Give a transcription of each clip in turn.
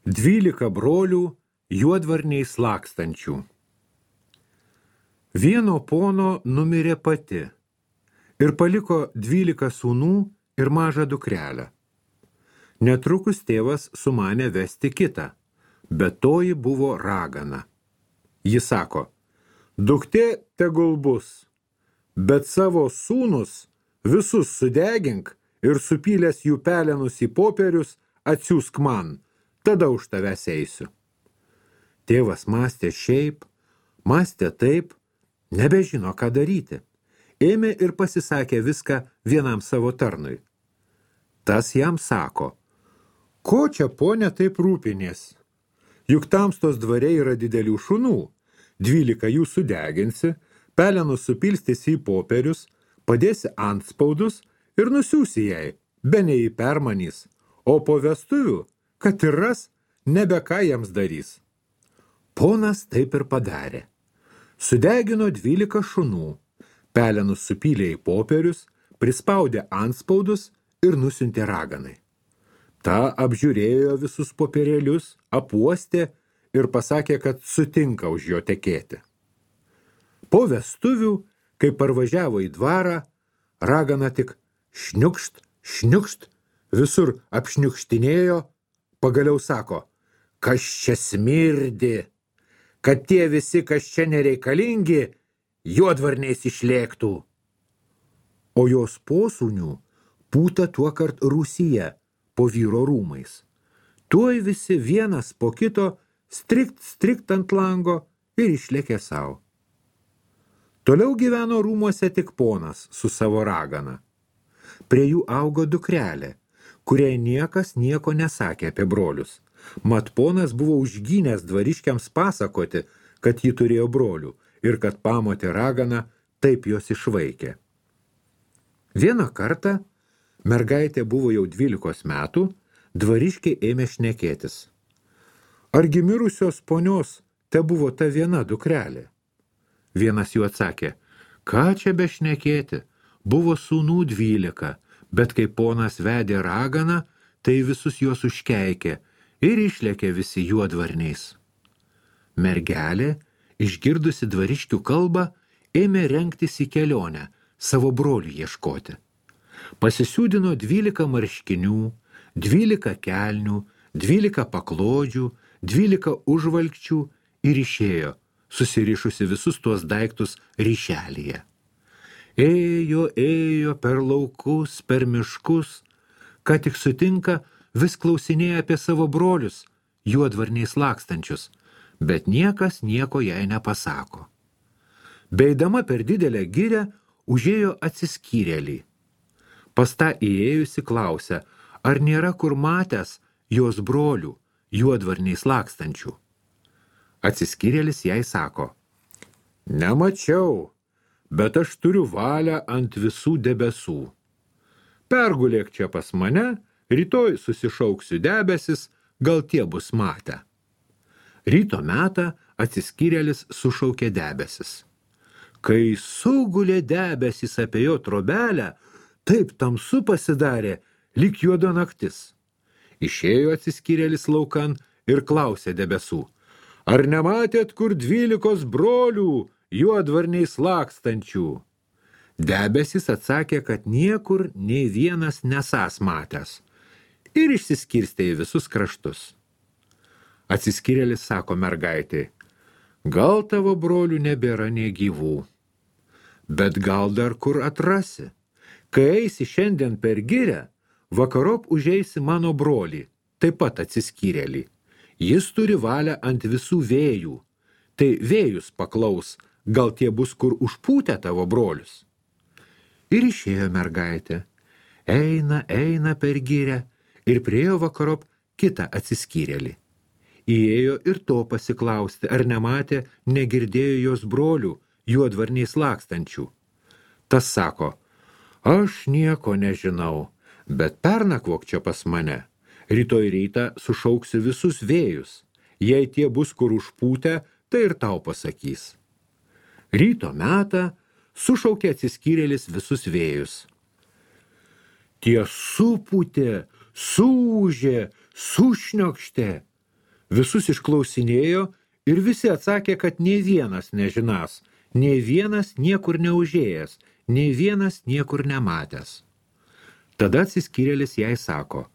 12 brolių juodvarniais lakstančių. Vieno pono numirė pati ir paliko 12 sūnų ir mažą dukrelę. Netrukus tėvas sumanė vesti kitą, bet toji buvo ragana. Ji sako, duktė tegul bus, bet savo sūnus visus sudegink ir supylęs jų pelenus į popierius atsiųsk man, tada už tavęs eisiu. Tėvas mąstė šiaip, mąstė taip, nebežino, ką daryti. Ėmė ir pasisakė viską vienam savo tarnui. Tas jam sako, ko čia, ponia, taip rūpinies? Juk tamstos dvare yra didelių šunų, 12 jų sudeginsi, pelenus supilstysi į popierius, padėsi antspaudus ir nusiųsi jai, bene jį permanys, o po vestuvių, kad ir ras, nebe ką jiems darys. Ponas taip ir padarė. Sudegino 12 šunų, pelenus supylė į popierius, prispaudė antspaudus ir nusiuntė raganai. Ta apžiūrėjo visus popierėlius, apuostė ir pasakė, kad sutinka už jo tekėti. Po vestuvių, kai parvažiavo į dvarą, ragana tik šniukšt, šniukšt, visur apšniukštinėjo, pagaliau sako, kas čia smirdi, kad tie visi, kas čia nereikalingi, juodvarniais išlėktų. O jos posūnių pūta tuokart rūsyje po vyro rūmais. Tuoj visi vienas po kito strikt ant lango ir išlėkė savo. Toliau gyveno rūmuose tik ponas su savo ragana. Prie jų augo dukrelė, kuriai niekas nieko nesakė apie brolius. Mat ponas buvo užgynęs dvariškiams pasakoti, kad ji turėjo brolių ir kad pamotė ragana taip jos išvaikė. Vieną kartą, mergaitė buvo jau 12 metų, dvariškiai ėmė šnekėtis. Argi mirusios ponios te buvo ta viena dukrelė? Vienas jų atsakė, ką čia bešnekėti, buvo sūnų 12, bet kai ponas vedė raganą, tai visus juos užkeikė ir išlėkė visi juodvarniais. Mergelė, išgirdusi dvariškių kalbą, ėmė rengtis į kelionę, savo brolių ieškoti. Pasisiūdino 12 marškinių, 12 kelnių, 12 paklodžių, 12 užvalkčių ir išėjo, susirišusi visus tuos daiktus ryšelyje. Ėjo per laukus, per miškus, ką tik sutinka, vis klausinėja apie savo brolius, juodvarniais lakstančius, bet niekas nieko jai nepasako. Beidama per didelę girią, užėjo atsiskyrėlį. Pas tą įėjusi klausia, ar nėra kur matęs jos brolių, juodvarniais lakstančių. Atsiskyrėlis jai sako, nemačiau, bet aš turiu valią ant visų debesų. Pergulėk čia pas mane, rytoj susišauksiu debesis, gal tie bus matę. Ryto metą atsiskyrėlis sušaukė debesis. Kai sugulė debesis apie jo trobelę, taip tamsu pasidarė, lyg juoda naktis. Išėjo atsiskyrėlis laukan ir klausė debesų, ar nematėt kur 12 brolių juodvarniais lakstančių? Debesis atsakė, kad niekur nei vienas nesąs matęs ir išsiskirstė į visus kraštus. Atsiskyrėlis sako mergaitei, gal tavo brolių nebėra nei gyvų, bet gal dar kur atrasi. Kai eisi šiandien per girią, vakarop užeisi mano brolį, taip pat atsiskyrėlį. Jis turi valią ant visų vėjų, tai vėjus paklaus, gal tie bus kur užpūtę tavo brolius. Ir išėjo mergaitė, eina per girią ir priėjo vakarop kitą atsiskyrėlį. Įėjo ir to pasiklausti, ar nematė, negirdėjo jos brolių, juodvarniais lakstančių. Tas sako, aš nieko nežinau, bet pernakvok čia pas mane. Rytoj rytą sušauksiu visus vėjus. Jei tie bus kur užpūtę, tai ir tau pasakys. Ryto metą sušaukė atsiskyrėlis visus vėjus. Tie supūtė, suūžė, sušniokštė, Visus išklausinėjo ir visi atsakė, kad nei vienas nežinas, nei vienas niekur neužėjęs, nei vienas niekur nematęs. Tada atsiskyrėlis jai sako,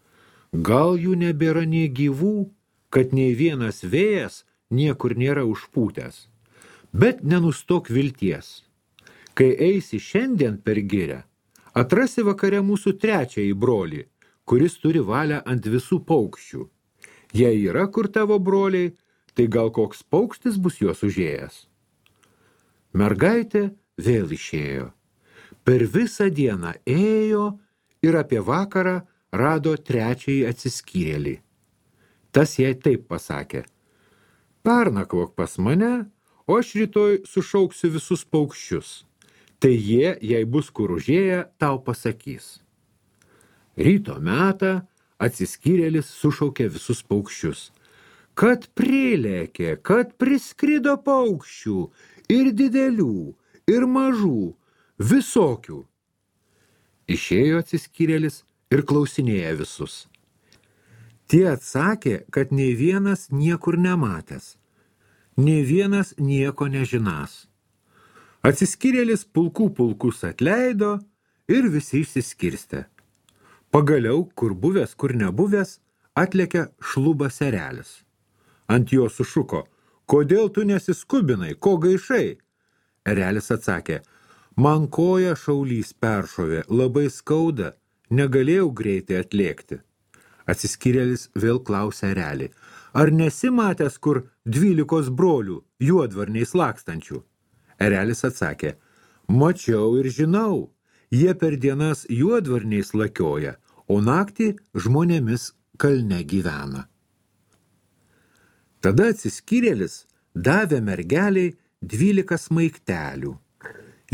gal jų nebėra nei gyvų, kad nei vienas vėjas niekur nėra užpūtęs. Bet nenustok vilties. Kai eisi šiandien per girią, atrasi vakare mūsų trečiąjį brolį, kuris turi valią ant visų paukščių. Jei yra kur tavo broliai, tai gal koks paukštis bus juos užėjęs. Mergaitė vėl išėjo. Per visą dieną ėjo ir apie vakarą rado trečiąjį atsiskyrėlį. Tas jai taip pasakė, pernakvok pas mane, o aš rytoj sušauksiu visus paukščius. Tai jie, jei bus kur užėję, tau pasakys. Ryto metą atsiskyrėlis sušaukė visus paukščius. Kad prilėkė, kad priskrido paukščių, ir didelių, ir mažų, visokių. Išėjo atsiskyrėlis ir klausinėja visus. Tie atsakė, kad nei vienas niekur nematęs, nei vienas nieko nežinas. Atsiskyrėlis pulkus atleido ir visi išsiskirstė. Pagaliau, kur buvęs, kur nebuvęs, atlėkė šlubas erelis. Ant jo sušuko, kodėl tu nesiskubinai, ko gaišai? Erelis atsakė, man koja šaulys peršovė, labai skauda, negalėjau greitai atlėkti. Atsiskyrėlis vėl klausė erelį, ar nesi matęs kur 12 brolių juodvarniais lakstančių? Erelis atsakė, mačiau ir žinau, jie per dienas juodvarniais lakioja, o naktį žmonėmis kalne gyvena. Tada atsiskyrėlis davė mergeliai 12 smaiktelių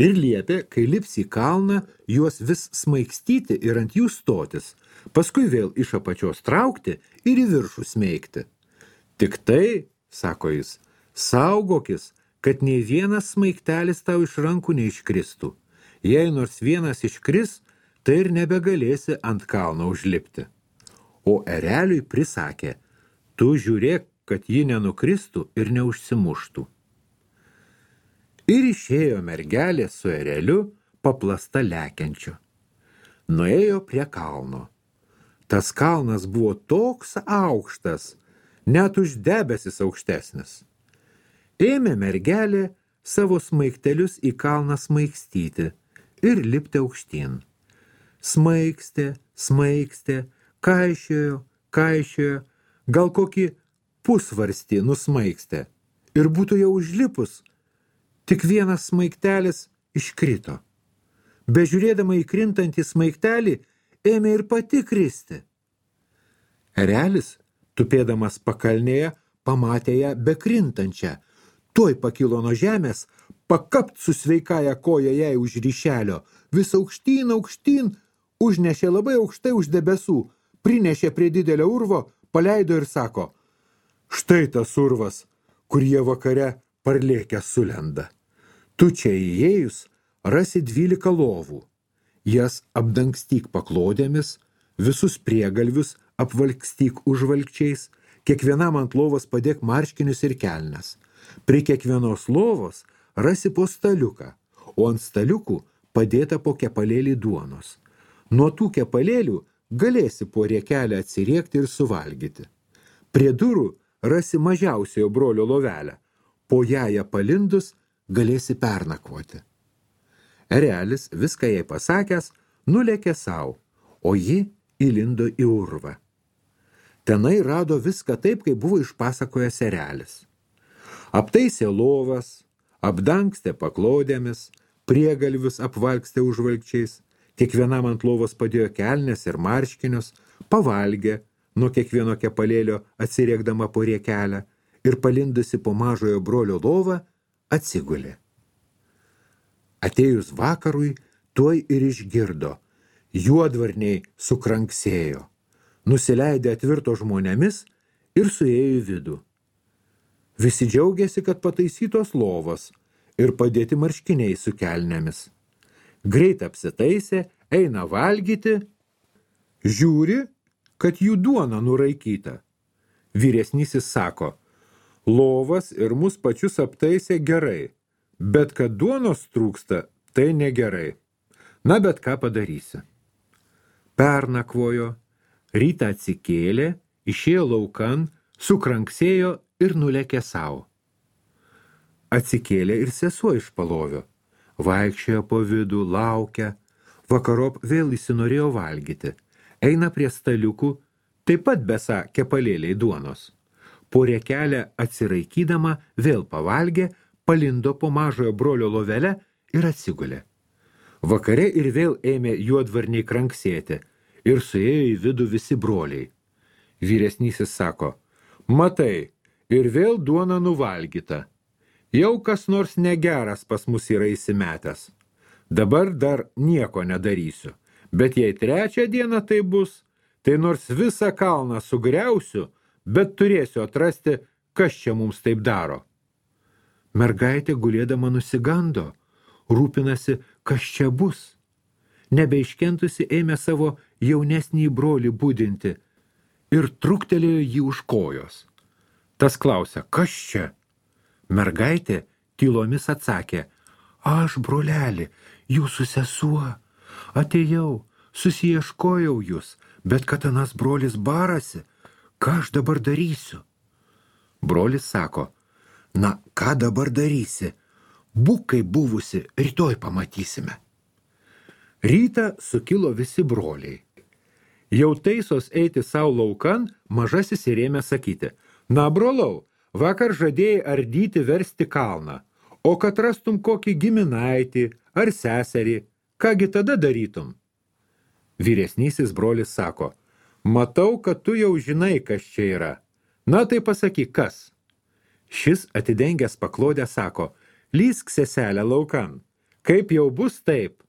ir liepė, kai lips į kalną, juos vis smaigstyti ir ant jų stotis, paskui vėl iš apačios traukti ir į viršų smeigti. Tik tai, sako jis, saugokis, kad nei vienas smaigtelis tau iš rankų neiškristų. Jei nors vienas iškris, tai ir nebegalėsi ant kalno užlipti. O ereliui prisakė, tu žiūrėk, kad ji nenukristų ir neužsimuštų. Ir išėjo mergelė su ereliu paplasta lekiančiu. Nuėjo prie kalno. Tas kalnas buvo toks aukštas, net už debesis aukštesnis. Ėmė mergelė savo smaigtelius į kalną smaigstyti ir lipti aukštyn. Smaigstė, kaišiojo, gal kokį pusvarstį nusmaigstė. Ir būtų jau užlipus, tik vienas smaigtelis iškrito. Bežiūrėdama į krintantį smaigtelį, ėmė ir pati kristi. Erelis, tupėdamas pakalnėje, pamatė ją bekrintančią. Tuoj pakilo nuo žemės, pakapt su sveikaja koja jai už ryšelio, vis aukštyn, užnešė labai aukštai už debesų, prinešė prie didelio urvo, paleido ir sako, štai tas urvas, kur jie vakare parlėkę sulenda. Tu čia įėjus rasi 12 lovų. Jas apdangstyk paklodėmis, visus priegalvius apvalkstyk užvalkčiais, kiekvienam ant lovos padėk marškinius ir kelnes. Prie kiekvienos lovos rasi po staliuką, o ant staliukų padėta po kepalėlį duonos. Nuo tų kepalėlių galėsi po riekelę atsiriekti ir suvalgyti. Prie durų rasi mažiausiojo brolio lovelę, po ją palindus galėsi pernakvoti. Erelis, viską jai pasakęs, nulėkė sau, o ji įlindo į urvą. Tenai rado viską taip, kaip buvo išpasakojęs erelis. Aptaisė lovas, apdangstė paklodėmis, priegalvius apvalkstė užvalkčiais, kiekvienam ant lovos padėjo kelnes ir marškinius, pavalgė, nuo kiekvieno kepalėlio atsiriekdama po riekelę ir palindusi po mažojo brolio lovą atsigulė. Atėjus vakarui, tuoj ir išgirdo, juodvarniai sukranksėjo, nusileidė atvirto žmonėmis ir suėjo į vidų. Visi džiaugiasi, kad pataisytos lovos ir padėti marškiniai su kelnėmis. Greit apsitaisė, eina valgyti, žiūri, kad jų duona nuraikyta. Vyresnysis sako, lovas ir mus pačius aptaisė gerai, bet kad duonos trūksta, tai negerai. Na, bet ką padarysi? Pernakvojo, rytą atsikėlė, išėjo laukan, sukranksėjo ir nulėkė savo. Atsikėlė ir sesuo iš palovio. Vaikščiojo po vidų, laukia. Vakarop vėl įsinorėjo valgyti. Eina prie staliukų, taip pat besą kepalėliai duonos. Po riekelę atsiraikydama vėl pavalgė, palindo po mažojo brolio lovelę ir atsigulė. Vakare ir vėl ėmė juodvarniai kranksėti ir suėjo į vidų visi broliai. Vyresnysis sako, matai, ir vėl duona nuvalgyta. Jau kas nors negeras pas mus yra įsimetęs. Dabar dar nieko nedarysiu, bet jei 3 dieną tai bus, tai nors visą kalną sugriausiu, bet turėsiu atrasti, kas čia mums taip daro. Mergaitė gulėdama nusigando, rūpinasi, kas čia bus. Nebeiškentusi ėmė savo jaunesnį brolį budinti ir truktelėjo jį už kojos. Tas klausia, kas čia? Mergaitė tylomis atsakė, aš, broleli, jūsų sesuo, atėjau, susiieškojau jūs, bet kad anas brolis barasi, ką aš dabar darysiu? Brolis sako, na, ką dabar darysi? Būk kaip buvusi, rytoj pamatysime. Rytą sukilo visi broliai. Jau taisos eiti savo laukan, mažasis ir ėmė sakyti, na, brolau, vakar žadėjai ardyti versti kalną, o kad rastum kokį giminaitį ar seserį, kągi tada darytum? Vyresnysis brolis sako, matau, kad tu jau žinai, kas čia yra. Na, tai pasakyk, kas? Šis atidengęs paklodę sako, lysk seselę laukan, kaip jau bus taip.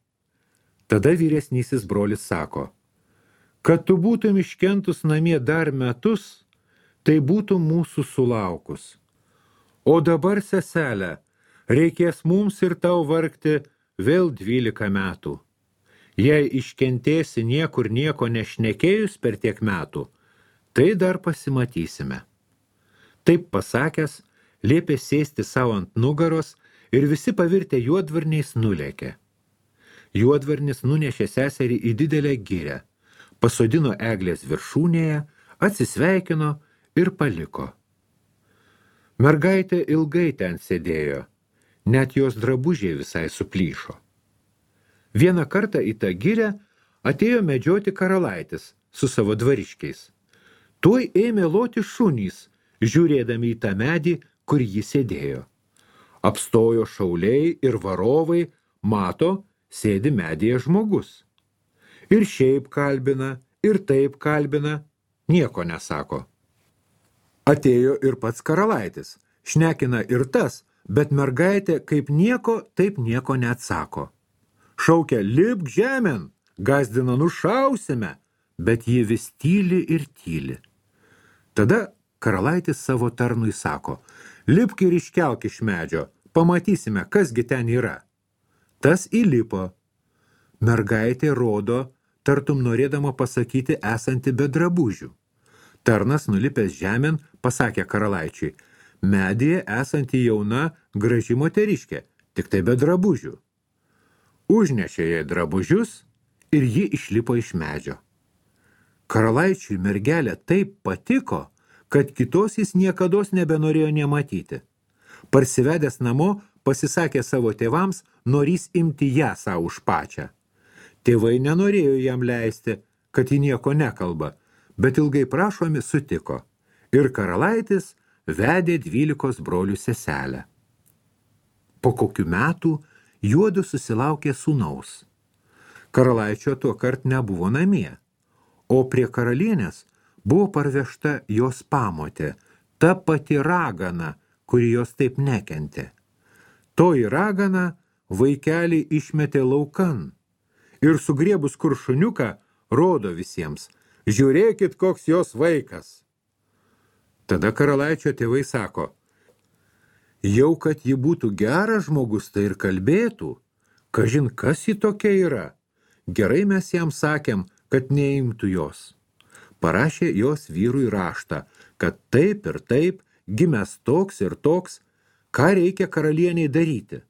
Tada vyresnysis brolis sako, kad tu būtum iškentus namie dar metus, tai būtų mūsų sulaukus. O dabar, seselė, reikės mums ir tau vargti vėl 12 metų. Jei iškentėsi niekur nieko nešnekėjus per tiek metų, tai dar pasimatysime. Taip pasakęs, liepė sėsti savo ant nugaros ir visi pavirtę juodvarniais nulėkė. Juodvarnis nunešė seserį į didelę girią, pasodino eglės viršūnėje, atsisveikino ir paliko. Mergaitė ilgai ten sėdėjo, net jos drabužiai visai suplyšo. Vieną kartą į tą girę atėjo medžioti karalaitis su savo dvariškiais. Tuoj ėmė loti šunys, žiūrėdami į tą medį, kur ji sėdėjo. Apstojo šauliai ir varovai, mato, sėdi medyje žmogus. Ir šiaip kalbina, ir taip kalbina, nieko nesako. Atėjo ir pats karalaitis, šnekina ir tas, bet mergaitė kaip nieko, taip nieko neatsako. Šaukia, lipk žemėn, gazdina nušausime, bet ji vis tyli ir tyli. Tada karalaitis savo tarnui sako, lipk ir iškelk iš medžio, pamatysime, kasgi ten yra. Tas įlipo. Mergaitė rodo, tartum norėdama pasakyti esanti be drabužių. Tarnas nulipęs žemėn pasakė karalaičiui, medyje esanti jauna graži moteriškė, tik tai be drabužių. Užnešė jai drabužius ir ji išlipo iš medžio. Karalaičiui mergelė taip patiko, kad kitos jis niekados nebenorėjo nematyti. Parsivedęs namo, pasisakė savo tėvams, norys imti ją savo už pačią. Tėvai nenorėjo jam leisti, kad ji nieko nekalba, bet ilgai prašomi sutiko. Ir karalaitis vedė 12 brolių seselę. Po kokių metų juodu susilaukė sūnaus. Karalaičio tuo kart nebuvo namie, o prie karalienės buvo parvežta jos pamotė, ta pati ragana, kuri jos taip nekentė. Toji ragana vaikelį išmetė laukan ir sugriebus kuršuniuką rodo visiems, žiūrėkit, koks jos vaikas. Tada karalaičio tėvai sako, jau kad ji būtų geras žmogus, tai ir kalbėtų, kažin kas ji tokia yra. Gerai mes jam sakėm, kad neimtų jos. Parašė jos vyrui raštą, kad taip ir taip, gimęs toks ir toks, ką reikia karalieniai daryti.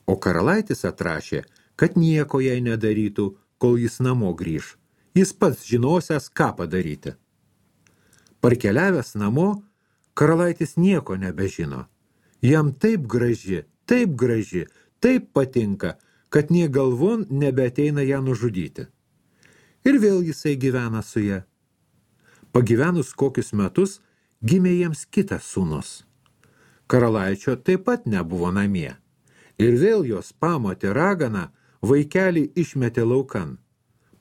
O karalaitis atrašė, kad nieko jai nedarytų, kol jis namo grįž. Jis pats žinosias, ką padaryti. Parkeliavęs namo, karalaitis nieko nebežino. Jam taip graži, taip patinka, kad nė galvon nebeateina ją nužudyti. Ir vėl jisai gyvena su ja. Pagyvenus kokius metus, gimė jiems kitas sūnus. Karalaičio taip pat nebuvo namie. Ir vėl jos pamotė ragana vaikelį išmetė laukan.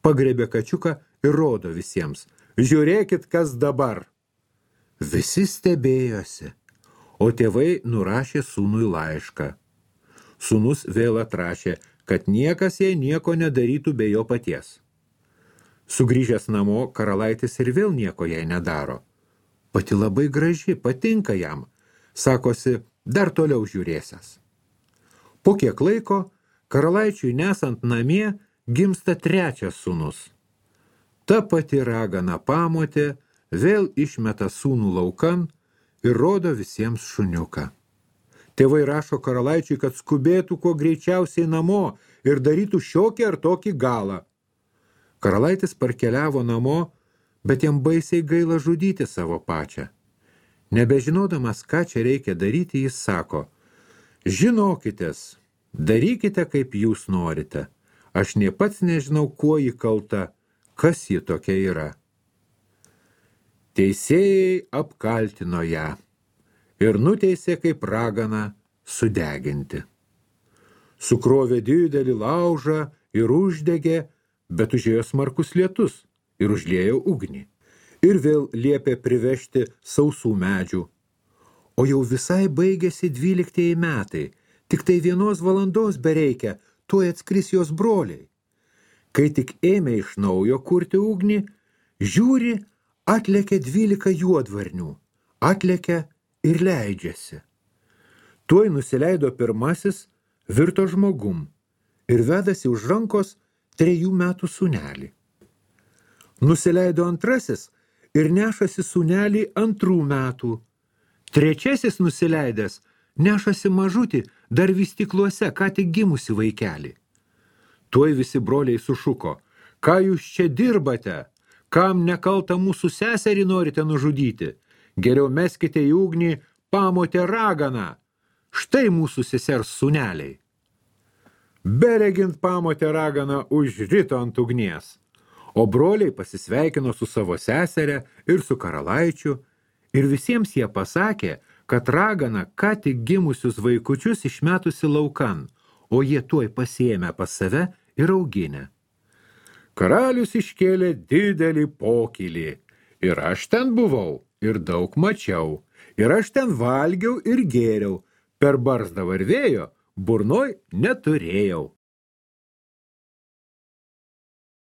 Pagrebė kačiuką ir rodo visiems. Žiūrėkit, kas dabar. Visi stebėjosi, o tėvai nurašė sūnui laišką. Sūnus vėl atrašė, kad niekas jai nieko nedarytų be jo paties. Sugrįžęs namo, karalaitis ir vėl nieko jai nedaro. Pati labai graži, patinka jam. Sakosi, dar toliau žiūrėsias. Po kiek laiko, karalaičiui nesant namie, gimsta trečias sūnus. Ta pati ragana pamotė vėl išmeta sūnų laukan ir rodo visiems šuniuką. Tėvai rašo karalaičiui, kad skubėtų kuo greičiausiai namo ir darytų šiokį ar tokį galą. Karalaitis parkeliavo namo, bet jam baisiai gaila žudyti savo pačią. Nebežinodamas, ką čia reikia daryti, jis sako, žinokitės, darykite, kaip jūs norite. Aš nė pats nežinau, kuo ji kalta, kas ji tokia yra. Teisėjai apkaltino ją ir nuteisė kaip raganą sudeginti. Sukrovė didelį laužą ir uždegė, bet užėjo smarkus lietus ir užliejo ugnį. Ir vėl liepė privežti sausų medžių. O jau visai baigėsi 12 metai, tik tai 1 valandos bereikia, tuoj atskris jos broliai. Kai tik ėmė iš naujo kurti ugnį, žiūri, atlėkė 12 juodvarnių, atlėkė ir leidžiasi. Tuoj nusileido pirmasis, virto žmogum ir vedasi už rankos 3 metų sūnelį. Nusileido antrasis ir nešasi sūnelį 2 metų. Trečiasis nusileidęs nešasi mažutį, dar vystykluose, ką tik gimusi vaikelį. Tuoj visi broliai sušuko, ką jūs čia dirbate, kam nekaltą mūsų seserį norite nužudyti, geriau meskite į ugnį pamotę raganą, štai mūsų sesers sūneliai. Beregint pamotę raganą užrito ant ugnies, o broliai pasisveikino su savo seserė ir su karalaičiu, ir visiems jie pasakė, kad ragana ką tik gimusius vaikučius išmetusi laukan, o jie tuoj pasiėmė pas save ir auginę. Karalius iškėlė didelį pokylį, ir aš ten buvau, ir daug mačiau, ir aš ten valgiau ir gėriau, per barzdą varvėjo, burnoj neturėjau.